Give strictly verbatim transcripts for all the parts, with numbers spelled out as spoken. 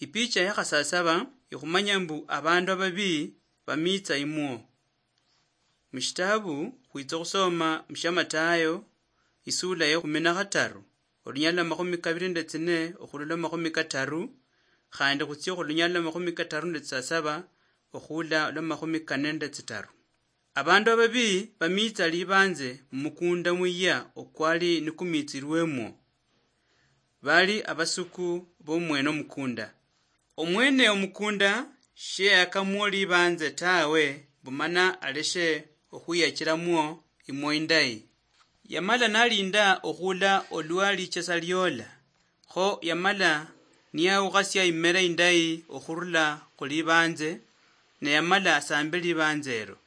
Ipicha ya khasasaba ikhumanya mbu abandu ababii bamiitsa imwo. Mushitabu khwitsa okhusoma mushia Matayo, isula ya ekhumi na khataru, olunyala lwa makhumi kabili nende tsine okhula lwa makhumi kataru, khandi khutsie khulunyala lwa makhumi kataru nende tsisasaba okhula lwa makhumi kane nende tsitaru. Abandu ababii bamiitsa libanze mumukunda muyia okwali nikumiitsilwemwo. Bali abasuku bomwene omukunda. Omwene omukunda sheyakamwo libanze tawe, mbu mana aleshe okhwiyachilamwo imwo indayi. Yamala nalinda okhula olwa lichesa liola, kho yamala niyawukhasia imera indayi okhurula khulibanze, ne yamala asambe libanze elo.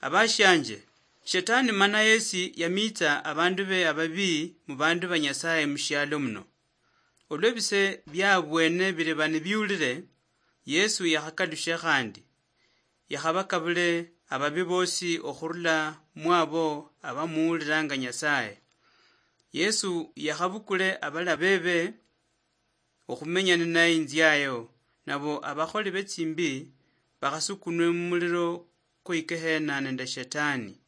Abashianje, Shetani mana yesi yamiitsa abandu be ababii mubandu ba Nyasaye mushialo muno. Olwa ebise biabwene biriba nibiulire, Yesu yakhakalushe khandi, yakhabakabule ababi bosi okhurula mwabo abamuuliranga Nyasaye. Yesu yakhabukule abalabe be okhumenya ninaye inziayo, nabo abakholi betsimbi bakhasukunwe mumuliro kwa ikehena nende Shetani.